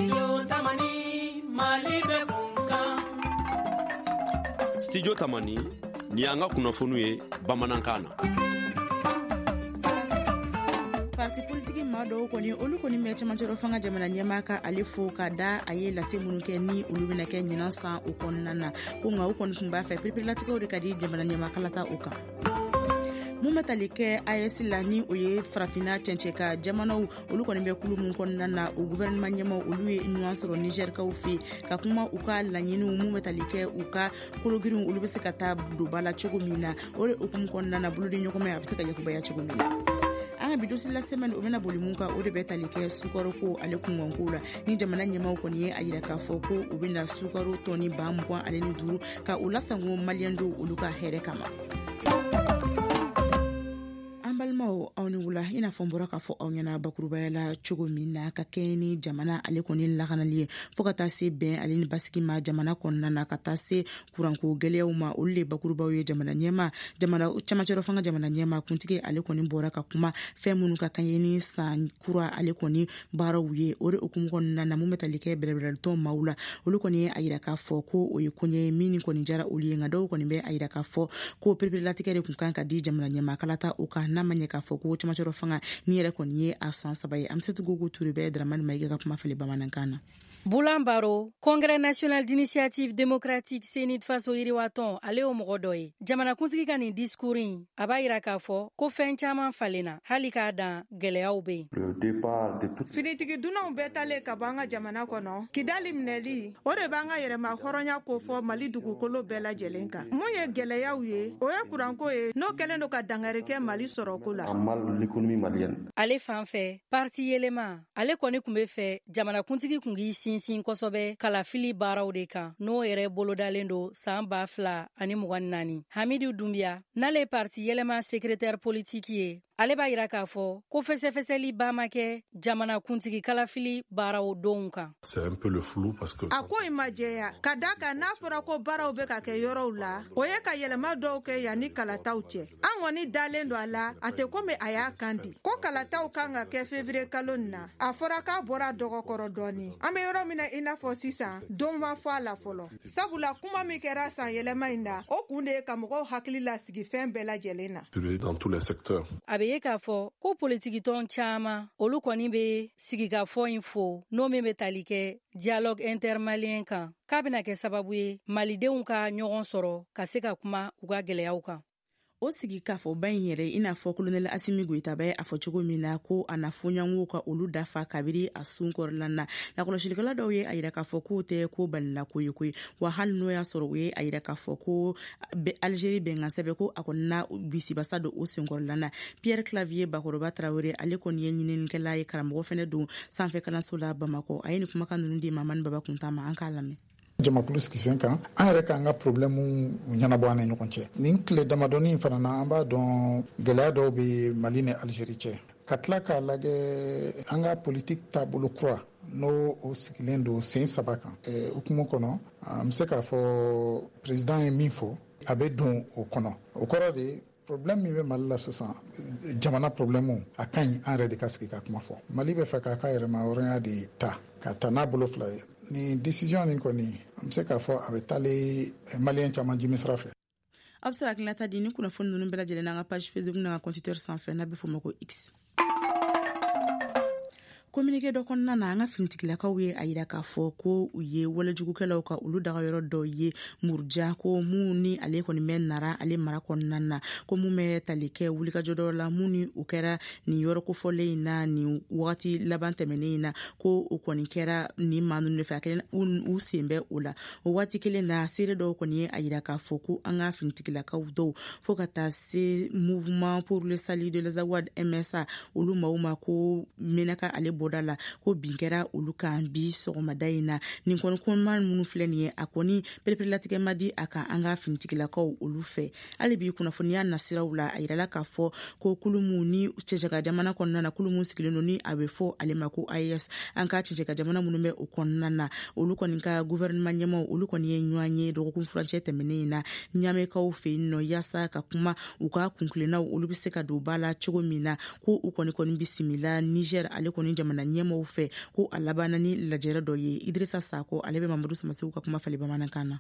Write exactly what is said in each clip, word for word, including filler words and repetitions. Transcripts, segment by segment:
Studio Tamani, Mali bɛ kun kan. Studio Tamani, ni y'an ka kunnafoniw ye bamanankan na. Parti politiki maa dɔw kɔni, olu kɔni bɛ cɛmancɛrɔ fanga jamana ɲɛmaa ka ale fo ka da a ye lase minnu kɛ ni olu bɛna kɛ ɲinan san o kɔnɔna na, ko nka u kɔni tun b'a fɛ pereperelatigɛw de ka di jamana ɲɛmaa kalata o kan. Mun bɛ tali kɛ A E S la, ni o ye farafinna cɛncɛ ka jamanaw, olu kɔni bɛ kulu mun kɔnɔna na, o gouvernement ɲɛmaw, olu ye ɲɔgɔn sɔrɔ Nigɛrikaw fɛ ka kuma u ka laɲiniw mun bɛ tali kɛ u ka kologirinw, olu bɛ se ka taa don ba la cogo min na. O de hukumu kɔnɔna na, bolodi ɲɔgɔnmɛ a bɛ se ka yakubaya cogo min na. An ka bi dossier la semaine, o bɛna boli mun kan, o de bɛ tali kɛ sukaro ko ale kunkanko la, ni jamana ɲɛmaw kɔni ye a yira k'a fɔ ko u bɛna sukaro tɔni ba mugan ale ni duuru ka u lasango maliyɛn dɔw olu ka hɛrɛ kama. An balimaw, aw ni wula. I n'a fɔ n bɔra k'a fɔ aw ɲɛna bakurubaya la cogo min na, ka kɛɲɛ ni jamana ale kɔni lakanali ye, fɔɔ ka taa se bɛn ale ni basigi ma jamana kɔnɔna na, ka taa se kuranko gwɛlɛyaw ma, olu le bakurubaw ye. Jamana ɲɛma, jamana camancɛrɔ fanga jamana ɲɛma kuntigi, ale kɔni bɔra ka kuma fɛn minnu ka kan ye ni san kura ale kɔni baaraw ye. O de hukumu kɔnɔna na, mun bɛ tali kɛ bɛrɛbɛrɛlitɔn maaw la, olu kɔni ye a yira k'a fɔ ko o ye koɲɛ ye min kɔni jara olu ye. Nka dɔw kɔni bɛ a yira k'a fɔ ko pereperelatigɛ de kun kan ka di jamana ɲɛma kalata o kan, n'a ma ɲɛ k'a fɔ ko camancɛrɔ fanga ni yɛrɛ kɔni ye a san saba ye. An bɛ se tugu Ture bɛ Dramani Mayiga ka kuma fili bamanankan na. Boulan Baro, Congrès national d'initiative démocratique CNID Faso Yiriwatɔn, ale y'o mɔgɔ dɔ ye. Jamanakuntigi ka nin discours in, a b'a yira k'a fɔ ko fɛn caman falenna, hali k'a dan gɛlɛyaw bɛ yen. Finitigi dunanw bɛɛ talen ka bɔ an ka jamana kɔnɔ, Kidali minɛli, o de b'an ka yɛrɛma hɔrɔnya kofɔ Mali dugukolo bɛɛ lajɛlen kan. Mun ye gɛlɛyaw ye? O ye kuranko ye, n'o kɛlen don ka dangari kɛ Mali sɔrɔko la. Ale fan fɛ, parti Yɛlɛma, ale kɔni tun bɛ fɛ jamanakuntigi kun k'i sinsin kosɛbɛ kalafili baaraw de kan, n'o yɛrɛ bolodalen don san ba fila ani mugan ni naani. Hamidu Dunbiya, n'ale ye parti Yɛlɛma secrétaire politique ye, ale b'a yira k'a fɔ ko fɛsɛfɛsɛli ba ma kɛ jamanakuntigi kalafili baaraw donw kan. A ko in ma jɛya, ka da kan n'a fɔra ko baaraw bɛ ka kɛ yɔrɔw la, o ye ka yɛlɛma dɔw kɛ yanni kalataw cɛ. An kɔni dalen don a la, a tɛ komi a y'a kan di ko kalataw kan ka kɛ février kalo nin na. A fɔra k'a bɔra dɔgɔkɔrɔ dɔɔni. An bɛ yɔrɔ min na, i n'a fɔ sisan, don ma fɔ a la fɔlɔ, sabula kuma min kɛra san yɛlɛma in na, o kun de ye ka mɔgɔw hakili lasigi fɛn bɛɛ lajɛlen na. A bɛ ye k'a fɔ ko politikitɔn caman, olu kɔni bɛ sigikafɔ in fo, n'o min bɛ tali kɛ dialogue intermalien kan, k'a bɛna kɛ sababu ye malidenw ka ɲɔgɔn sɔrɔ ka se ka kuma u ka gɛlɛyaw kan. O sigi k'a fɔ ba in yɛrɛ, i n'a fɔ kolonɛli Asimi Goyita bɛ a fɔ cogo min na ko a na fɔɲɔgɔnw ka olu dafa kabiri a sun kɔrɔla na. Lakɔlɔsilikɛla dɔw ye a yira k'a fɔ k'o tɛ ko balila ko ye koyi. Wa hali n'o y'a sɔrɔ u ye a yira k'a fɔ ko Alizeri bɛnkan sɛbɛn, ko a kɔni na bisibasa don o senkɔrɔla na. Pierre Clavier Bakɔrɔba Tarawele, ale kɔni ye ɲininikɛla ye, karamɔgɔ fɛnɛ don sanfɛ kalanso la Bamakɔ. A ye nin kumakan ninnu di Mamani Baba Kunta ma, an k'a lamɛn. Jamakulu sigi sen kan, an yɛrɛ k'an ka problème ɲɛnabɔ an ni ɲɔgɔn cɛ. Nin tile damadɔni fana na, an b'a dɔn gɛlɛya dɔw bɛ Mali ni Alizeri cɛ. Ka tila k'a lajɛ, an ka politiki taabolo kura, n'o o sigilen don sen saba kan, hukumu kɔnɔ, an bɛ se k'a fɔ président ye min fɔ, a bɛ don o kɔnɔ. O kɔrɔ de, problème min bɛ Mali la sisan, jamana problème, a ka ɲi an yɛrɛ de ka sigi ka kuma fɔ. Mali bɛ fɛ k'a ka yɛrɛma hɔrɔnya de ta ka ta n'a bolo fila ye. Nin décision nin kɔni, an bɛ se k'a fɔ a bɛ taalen maliyɛn caman jimi sira fɛ. Aw bɛ se ka hakilinata di ni kunnafoni ninnu bɛɛ lajɛlen n'an ka page Facebook n'an ka compte Twitter sanfɛ, n'a bɛ f'o ma ko X. Communiqué dɔ kɔnɔna na, an ka finitigilakaw ye a yira k'a fɔ ko u ye walejugukɛlaw ka olu dagayɔrɔ dɔ ye Muruja, ko mun ni ale kɔni bɛ Nara ale mara kɔnɔna na, ko mun bɛ tali kɛ wulikajɔ dɔ la mun ni o kɛra nin yɔrɔ kofɔlen in na nin wagati laban tɛmɛnen in na, ko o kɔni kɛra nin maa ninnu de fɛ, a kɛlen u sen bɛ o la. O waati kelen na, seere dɔw kɔni ye a yira k'a fɔ ko an ka finitigilakaw dɔw, fo ka taa se Mouvement pour le salut de l'Azawad, M S A, olu maaw ma ko Menaka ale bɔda la, ko bin kɛra olu kan bi sɔgɔmada in na. Nin kɔni kɔnɔma minnu filɛ nin ye, a kɔni pereperelatigɛ ma di a kan an ka finitigilakaw olu fɛ. Hali bi kunnafoniya nasiraw la, a yirala k'a fɔ ko kulu mu ni cɛcɛka jamana kɔnɔna na, kulu mun sigilen don ni a bɛ fɔ ale ma ko A E S, an ka cɛcɛka jamana minnu bɛ o kɔnɔna na, olu kɔni ka gouvernement ɲɛmaw, olu kɔni ye ɲɔgɔn ye dɔgɔkun furancɛ tɛmɛnen in na Ɲamɛkaw fɛ yen nɔ, yaasa ka kuma u ka kunkilennaw, olu bɛ se ka don ba la cogo min na, ko u kɔni kɔni bisimila Niger ale kɔni jamana. jamana ɲɛmɔgɔw fɛ, ko a labanna ni lajɛrɛ dɔ ye. Idrissa Sako, ale bɛ Mamadu Samasegu ka kuma falen bamanankan na.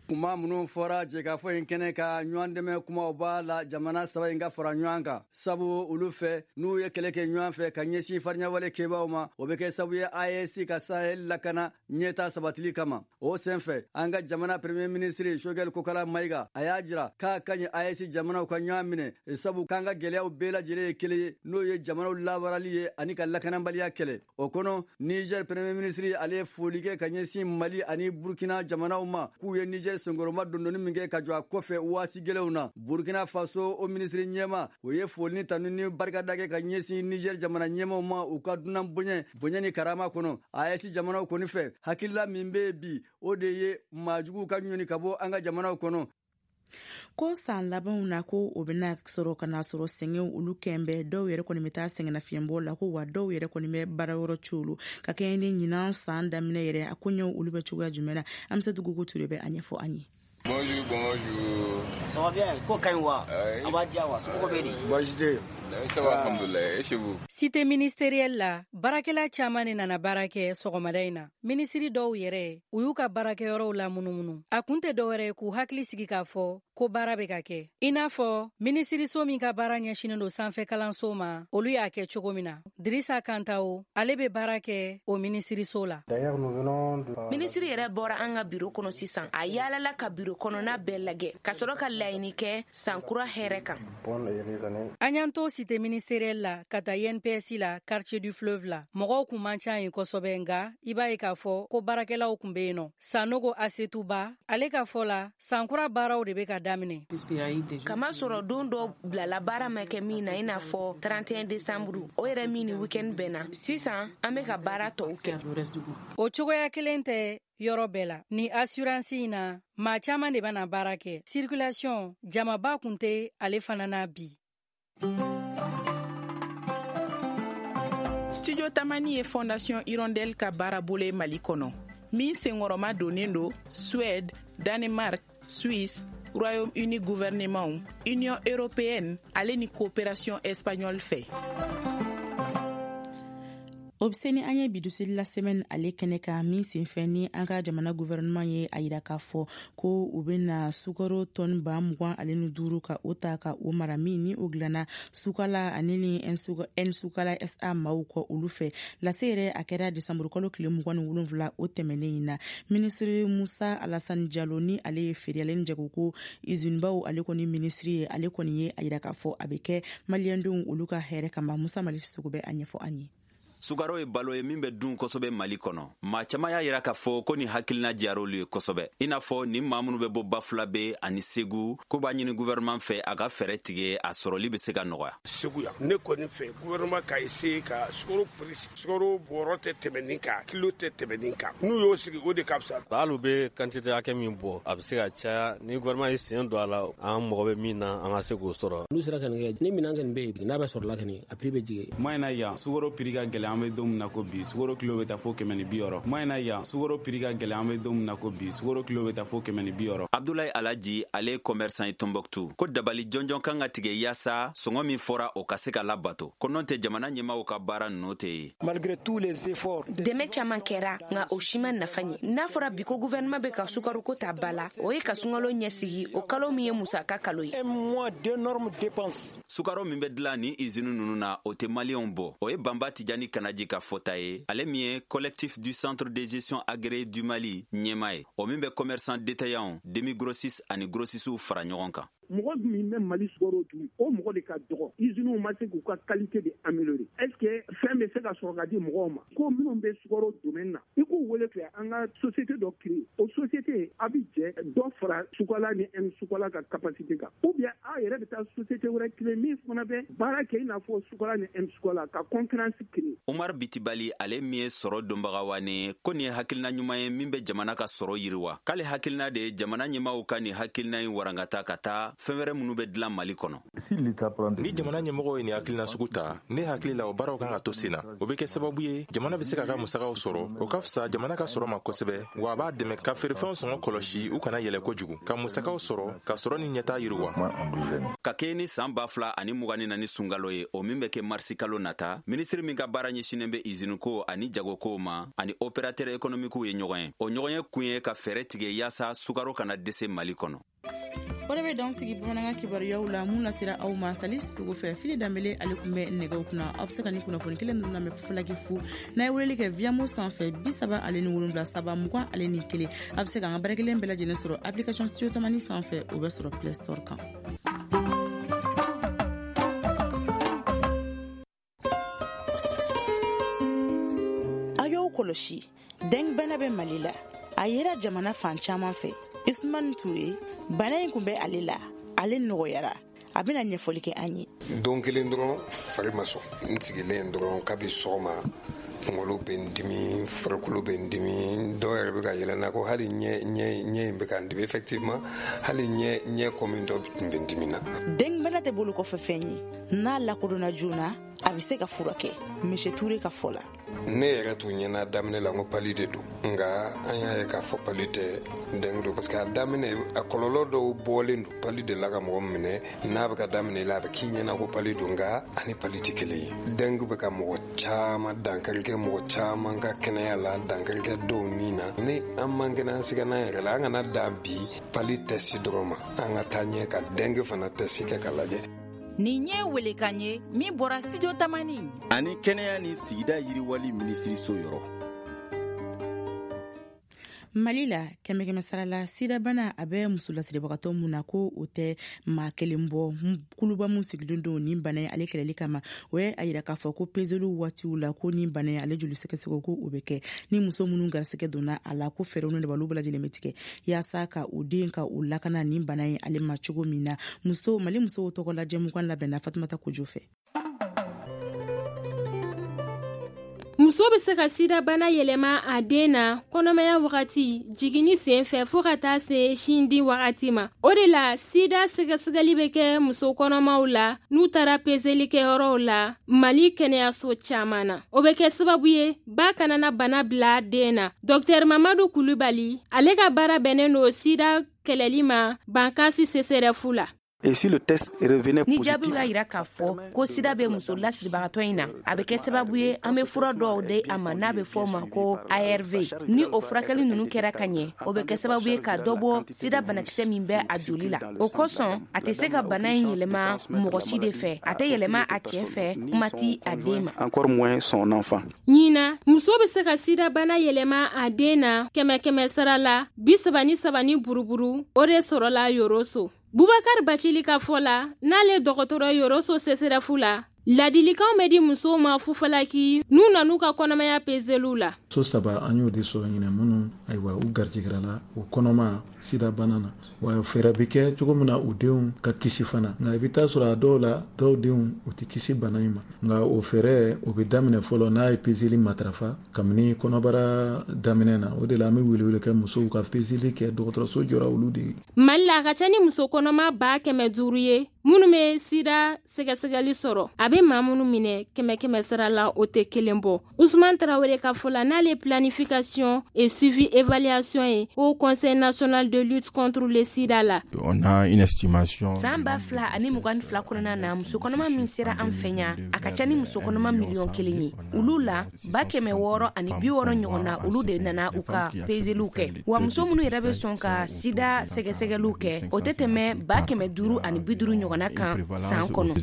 Kuma minnu fɔra jɛkafɔ in kɛnɛ ka ɲɔgɔn dɛmɛ kumaw b'a la jamana saba in ka fara ɲɔgɔn kan, sabu olu fɛ n'u ye kɛlɛ kɛ ɲɔgɔn fɛ ka ɲɛsin fariɲawale kɛbaaw ma, o bɛ kɛ sababu ye A E S ka Sahel lakana ɲɛta sabatili kama. O senfɛ, an ka jamana premier ministre Choguel Kokala Maïga a y'a jira k'a ka ɲi A E S jamanaw ka ɲɔgɔn minɛ, sabu k'an ka gɛlɛyaw bɛɛ lajɛlen ye kelen ye, n'o ye jamanaw labaarali ye ani ka lakanabaliya kɛlɛ. O kɔnɔ, Niger premier ministre ale ye foli kɛ ka ɲɛsin Mali ani Burkina jamanaw ma k'u ye Niger senkɔrɔma dondoni min kɛ ka jɔ a kɔfɛ waati gɛlɛnw na. Burkina Faso o minisiri ɲɛma o ye foli ni tanu ni barikada kɛ ka ɲɛsin Niger jamana ɲɛmaw ma u ka dunan bonya bonya ni karama kɔnɔ. A E S jamanaw kɔni fɛ, hakilila min bɛ bi o de ye maajuguw ka ɲɔni ka bɔ an ka jamanaw kɔnɔ. Ko san labanw na, ko o bɛna sɔrɔ ka na sɔrɔ sɛgɛnw olu kɛnbɛ, dɔw yɛrɛ kɔni bɛ taa sɛgɛnnafiɲɛbɔ la, ko wa dɔw yɛrɛ kɔni bɛ baarayɔrɔ colu ka kɛɲɛ ni ɲinan san daminɛ yɛrɛ. A koɲɛw olu bɛ cogoya jumɛn na? Amisatu Ture bɛ a ɲɛfɔ an ye. Bonjour, bonjour. Ça va bien? Ko ka ɲi wa? A b'a diya wa? Somɔgɔw bɛ di? Baasi tɛ yen. Ça va, alhamdoulilah. Et chez vous? Cité ministérielle la, baarakɛla caman de nana baara kɛ sɔgɔmada in na. Minisiri dɔw yɛrɛ, u y'u ka baarakɛyɔrɔw la munumunu. A kun tɛ dɔwɛrɛ ye k'u hakili sigi k'a fɔ ko baara bɛ ka kɛ. I n'a fɔ minisiriso min ka baara ɲɛsinnen don sanfɛ kalanso ma, olu y'a kɛ cogo min na. Dirisa Kantawo, ale bɛ baara kɛ o minisiriso la. Minisiri yɛrɛ bɔra an ka biro kɔnɔ sisan. A yaalala ka biro kɔnɔna bɛɛ lajɛ ka sɔrɔ ka laɲini kɛ sankura hɛrɛ kan. An y'an to cité ministérielle la ka taa I N P S la, quartier du fleuve la. Mɔgɔw kun man ca yen kosɛbɛ, nka i b'a ye k'a fɔ ko baarakɛlaw kun bɛ yen nɔ. Sanogo Asetuba, ale ka fɔ la, sankura baaraw de bɛ ka daminɛ. Kama sɔrɔ don dɔ bilala baara ma kɛ min na, i n'a fɔ trente et un décembre, o yɛrɛ min ni week-end bɛnna. Sisan an bɛ ka baara tɔw kɛ. O cogoya kelen tɛ yɔrɔ bɛɛ la. Ni assurance in na, maa caman de bɛna baara kɛ. Circulation, jamaba kun tɛ ale fana na bi. Studio Tamani ye Fondation Hirondelle ka baarabolo ye Mali kɔnɔ, min senkɔrɔma donnen don Suède, Danemark, Suisse, Royaume-Uni gouvernement, Union européenne ale ni coopération espagnole fɛ. O bɛ se ni an ye bidusili la semaine ale kɛnɛ kan, min senfɛ ni an ka jamana gouvernement ye a yira k'a fɔ ko u bɛna sukaro tɔni ba mugan ale ni duuru ka o ta ka o mara, min ni o dilanna Sukala ani ni N Sukala S A maaw kɔ olu fɛ. Lase yɛrɛ a kɛra desanburu kalo tile mugan ni wolonwula o tɛmɛnen in na. Minisiri Musa Alassane Diallo, ni ale ye feere ale ni jagoko izininbaw ale kɔni minisiri ye, ale kɔni ye a yira k'a fɔ a bɛ kɛ maliyɛndenw olu ka hɛrɛ kama. Musa Mali Sisoko bɛ a ɲɛfɔ an ye. Sukaro ye balo ye min bɛ dun kosɛbɛ Mali kɔnɔ. Maa caman y'a yira k'a fɔ ko nin hakilina diyar'olu ye kosɛbɛ. I n'a fɔ nin maa minnu bɛ bɔ Bafulabe ani Segu, ko b'a ɲini gouvernement fɛ a ka fɛɛrɛ tigɛ a sɔrɔli bɛ se ka nɔgɔya. Segu yan, ne kɔni fɛ gouvernement ka essayer ka sukaro prix, sukaro bɔrɔ tɛ tɛmɛ nin kan, kilo tɛ tɛmɛ nin kan. N'u y'o sigi, o de ka fisa. Hali u bɛ quantité hakɛ min bɔ, a bɛ se ka caya. Ni gouvernement ye sen don a la, an mago bɛ min na, an ka se k'o sɔrɔ. N'u sera ka nin kɛ, ni minɛn kɔni bɛ yen, n'a bɛ sɔrɔla kɔni, a prix bɛ jigin. Moyen na yan, sukaro prix ka gɛlɛn, an bɛ don min na ko bi, sukaro kilo bɛ taa fo kɛmɛ ni bi wɔɔrɔ. Moyen na yan, sukaro prix ka gɛlɛn, an bɛ don min na ko bi, sukaro kilo bɛ taa fo kɛmɛ ni bi wɔɔrɔ. Abdoulaye Alaji, ale ye commerçant ye Tombouctou, ko dabali jɔnjɔn kan ka tigɛ yaasa sɔngɔ min fɔra o ka se ka labato, ko n'o tɛ jamana ɲɛmaaw ka baara ninnu tɛ ye. Malgré tous les efforts, dɛmɛ caman kɛra, nka o si ma nafa ɲɛ. N'a fɔra bi ko gouvernement bɛ ka sukaro ta ba la, o ye ka sunkalo ɲɛsigi, o kalo min ye musaka kalo ye. Un mois d'énormes dépenses. Sukaro min bɛ dilan ni usine ninnu na, o tɛ maliyɛnw bɔ. O ye Banba Tijani Kanaji ka fɔta ye, ale min ye collectif du centre de gestion agréé du Mali ɲɛmaa ye, o min bɛ commerçant détaillant, demi grossiste ani grossistes fara ɲɔgɔn kan. Mɔgɔ min bɛ Mali sukaro dun, o mɔgɔ de ka dɔgɔ. Usines ma se k'u ka qualité de améliorer. Est-ce que fɛn bɛ se ka sɔrɔ ka di mɔgɔw ma? Ko minnu bɛ sukaro domaine na, i k'u wele fɛ an ka société dɔ créer. O société a bɛ jɛ dɔ fara Sukala ni M Sukala ka capacité kan. Ou bien a yɛrɛ bɛ taa société wɛrɛ créer min fana bɛ baara kɛ i n'a fɔ Sukala ni M Sukala ka concurrence créer. Umar Bitibali, ale min ye sɔrɔ donbaga wane, ko nin ye hakilina ɲuman ye min bɛ jamana ka sɔrɔ yiriwa. K'ale hakilina de ye jamana ɲɛmaaw ka nin hakilina in warankata ka taa fɛn wɛrɛ minnu bɛ dilan Mali kɔnɔ. Ni jamana ɲɛmɔgɔw ye nin hakilina sugu ta, ne hakili la o baaraw kan ka to sen na. O bɛ kɛ sababu ye jamana bɛ se k'a ka musakaw sɔrɔ, o ka fisa jamana ka sɔrɔ ma kosɛbɛ, wa a b'a dɛmɛ ka feerefɛnw sɔngɔ kɔlɔsi u kana yɛlɛ kojugu, ka musakaw sɔrɔ ka sɔrɔ ni ɲɛtaa yiriwa. Ka kɛɲɛ ni san ba fila ani mugan ni naani sunkalo ye, o min bɛ kɛ marisikalo nata, minisiri min ka baara ɲɛsinnen bɛ iziniko ani jagokow ma ani opérateur économique ye ɲɔgɔn ye. O ɲɔgɔn ye kun ye ka fɛɛrɛ tigɛ yaasa sukaro kana dɛsɛ Mali kɔnɔ. O de bɛ dan sigi bamanankan kibaruyaw la mun lasera aw ma Sali Sogo fɛ. Fili Danbele ale tun bɛ nɛgɛw kunna. Aw bɛ se ka nin kunnafoni kelen ninnu lamɛn Falaki fu n'a ye weleli kɛ Viamo sanfɛ bi saba ale ni wolonwula saba mugan ale ni kelen. A bɛ se k'an ka baara kelen bɛɛ lajɛlen sɔrɔ application Studio Tamani sanfɛ, o bɛ sɔrɔ Play Store kan. Aw y'aw kɔlɔsi, dengue bana bɛ Mali la. A yera jamana fan caman fɛ. Isumani Ture, bana in kun bɛ ale la, ale nɔgɔyara. A bɛna ɲɛfɔli kɛ an ye. Don kelen dɔrɔn fari ma sɔn, n sigilen dɔrɔn kabi sɔgɔma kunkolo bɛ n dimi, farikolo bɛ n dimi, dɔw yɛrɛ bɛ ka yɛlɛ n na ko hali ɲɛ ɲɛ ɲɛ in bɛ ka n dimi, effectivement hali ɲɛ ɲɛ kɔmi dɔ tun bɛ n dimi na. Dengue bana tɛ bolo kɔfɛ fɛn ye, n'a lakodɔnna joona a bɛ se ka furakɛ. Monsieur Ture ka fɔ la. Ne yɛrɛ tun ɲɛna daminɛ la n ko palu de don, nka an y'a ye k'a fɔ palu tɛ, dengue don, parce que a daminɛ a kɔlɔlɔ dɔw bɔlen don palu de la ka mɔgɔ minɛ. N'a bɛ ka daminɛ la a bɛ k'i ɲɛna ko palu don, nka ani palu tɛ kelen ye. Dengue bɛ ka mɔgɔ caman dankari kɛ, mɔgɔ caman ka kɛnɛya la, dankari kɛ dɔw ni na. Ni an man kɛnɛ an siga n'an yɛrɛ la, an kana dan bi palu tɛsi dɔrɔn ma, an ka taa ɲɛ ka dengue fana tɛsi kɛ ka lajɛ. Nin ye welekan ye min bɔra Studio Tamani ani kɛnɛya ni sigida yiriwali minisiriso yɔrɔ. Mali la, kɛmɛ kɛmɛ sara la, sidabana a bɛ muso lasiribagatɔ mun na ko o tɛ maa kelen bɔ. Kuluba mun sigilen don nin bana ye ale kɛlɛli kama, o ye a yira k'a fɔ ko peseliw waatiw la ko nin bana ye ale joli sɛgɛsɛgɛ ko o bɛ kɛ ni muso minnu garisɛgɛ donna a la, ko fɛɛrɛw ni dabaliw bɛɛ lajɛlen bɛ tigɛ yaasa ka u den ka u lakana nin bana ye ale ma cogo min na. Muso Mali musow tɔgɔ la jɛmukan labɛnna Fatumata Kojo fɛ. Muso bɛ se ka sidabana yɛlɛma a den na kɔnɔmaya wagati, jiginni sen fɛ fo ka taa se sindi wagati ma. O de la sida sɛgɛsɛgɛli bɛ kɛ muso kɔnɔmaw la n'u taara peseli kɛyɔrɔw la Mali kɛnɛyaso caman na. O bɛ kɛ sababu ye ba kana na bana bila den na. Docteur Mamadu Kulubali, ale ka baara bɛnnen don sida kɛlɛli ma Bankasi C C R F la. Et si le test revenait ni positif, jaabiw y'a yira k'a fɔ ko sida bɛ muso lasiribagatɔ in na, a bɛ kɛ sababu ye an bɛ fura dɔw di a ma n'a bɛ fɔ o ma ko A R V. Ni o furakɛli ninnu kɛra ka ɲɛ, o bɛ kɛ sababu ye ka dɔ bɔ sida banakisɛ min bɛ a joli la. O kosɔn a tɛ se ka bana in yɛlɛma mɔgɔ si de fɛ, a tɛ yɛlɛma a cɛ fɛ, kuma ti a den ma. Encore moins son enfant. Ɲinan, muso bɛ se ka sida bana yɛlɛma a den na kɛmɛ kɛmɛ sara la bi saba ni saba ni buruburu, o de sɔrɔla Yoroso. Bubakar Bacili ka fɔ la, n'ale dɔgɔtɔrɔ Yoroso C C R F la, ladilikanw bɛ di musow ma fufalaki n'u nan'u ka kɔnɔmaya peseliw la. So saba an y'o de sɔrɔ ɲinɛ minnu ayiwa u garijɛgɛra la o kɔnɔma sida bana na, wa fɛɛrɛ bɛ kɛ cogo min na u denw ka kisi fana. Nka i bɛ taa sɔrɔ a dɔw la dɔw denw u tɛ kisi bana in ma, nka o fɛɛrɛ o bɛ daminɛ fɔlɔ n'a ye peseli matarafa kabini kɔnɔbara daminɛ na. O de la an bɛ welewele kɛ musow ka peseli kɛ, dɔgɔtɔrɔso jɔra olu de ye. Mali la, a ka ca ni muso kɔnɔma ba kɛmɛ duuru ye minnu bɛ sida sɛgɛsɛgɛli sɔrɔ. A bɛ maa minnu minɛ kɛmɛ kɛmɛ sara la, o tɛ kelen bɔ. Usman Tarawele ka fɔ la, n'ale planification et suivi évaluation ye au Conseil national de lutte contre le sida la. On a une estimation. San ba fila ani mugan ni fila kɔnɔna na, muso kɔnɔma min sera an fɛ yan, a ka ca ni muso kɔnɔma miliyɔn kelen ye. Olu la ba kɛmɛ wɔɔrɔ ani bi wɔɔrɔ ɲɔgɔn na, olu de nana u ka peseliw kɛ. Wa muso minnu yɛrɛ bɛ sɔn ka sida sɛgɛsɛgɛliw kɛ, o tɛ tɛmɛ ba kɛmɛ duuru ani bi duuru ɲɔgɔnna kan san kɔnɔ.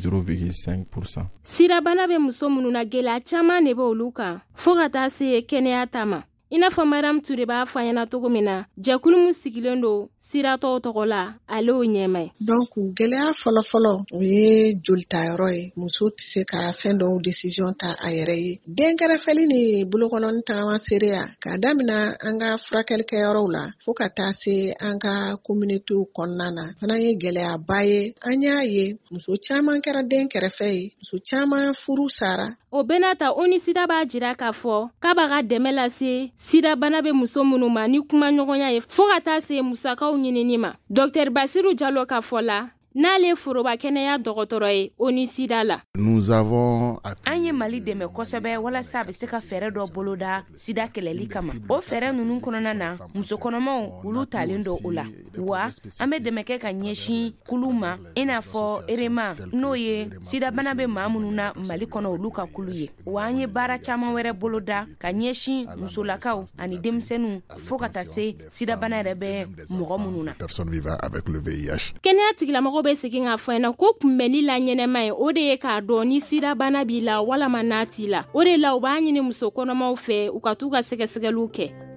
Sirabana bɛ muso minnu na, gɛlɛya caman de bɛ olu kan fo ka taa se kɛnɛya ta ma. I n'a fɔ Mariam Ture b'a fɔ an ɲɛna cogo min na, jɛkulu min sigilen don siratɔw tɔgɔ la, ale y'o ɲɛmaa ye. Donc gɛlɛya fɔlɔfɔlɔ o ye jolitayɔrɔ ye. Muso tɛ se ka fɛn dɔw décision ta a yɛrɛ ye. Den kɛrɛfɛli ni bolokɔnɔni tagama seereya k'a daminɛ an ka furakɛlikɛyɔrɔw la fo ka taa se an ka communautéw kɔnɔna na, fana ye gɛlɛyaba ye. An y'a ye muso caman kɛra den kɛrɛfɛ ye, muso caman furu sara. O bɛɛ n'a ta, ONUSIDA b'a jira k'a fɔ k'a b'a ka dɛmɛ lase sidabana bɛ muso minnu ma ni kumaɲɔgɔnya ye fo ka taa se musakaw ɲinini ma. Docteur Basiru Jalo ka fɔ la, n'ale foroba kɛnɛya dɔgɔtɔrɔ ye ONUSIDA la. Nous avons An ye Mali dɛmɛ kosɛbɛ walasa a bɛ se ka fɛɛrɛ dɔ boloda sida kɛlɛli kama. O fɛɛrɛ ninnu kɔnɔna na, muso kɔnɔmaw olu talen don o la. Wa an bɛ dɛmɛ kɛ ka ɲɛsin kulu ma, i n'a fɔ Erema, n'o ye sidabana bɛ maa minnu na Mali kɔnɔ, olu ka kulu ye. Wa an ye baara caman wɛrɛ boloda ka ɲɛsin musolakaw ani denmisɛnninw, fo ka taa se sidabana yɛrɛ bɛ mɔgɔ minnu na. Personnes vivant avec le V I H. Kɛnɛya tigilamɔgɔw bɛ segin k'a fɔ ɲɛna ko kunbɛnni la ɲɛnɛma ye, o de ye k'a dɔn ni sidabana b'i la walama n'a t'i la. O de la u b'a ɲini muso kɔnɔmaw fɛ, u ka t'u ka sɛgɛsɛgɛliw kɛ.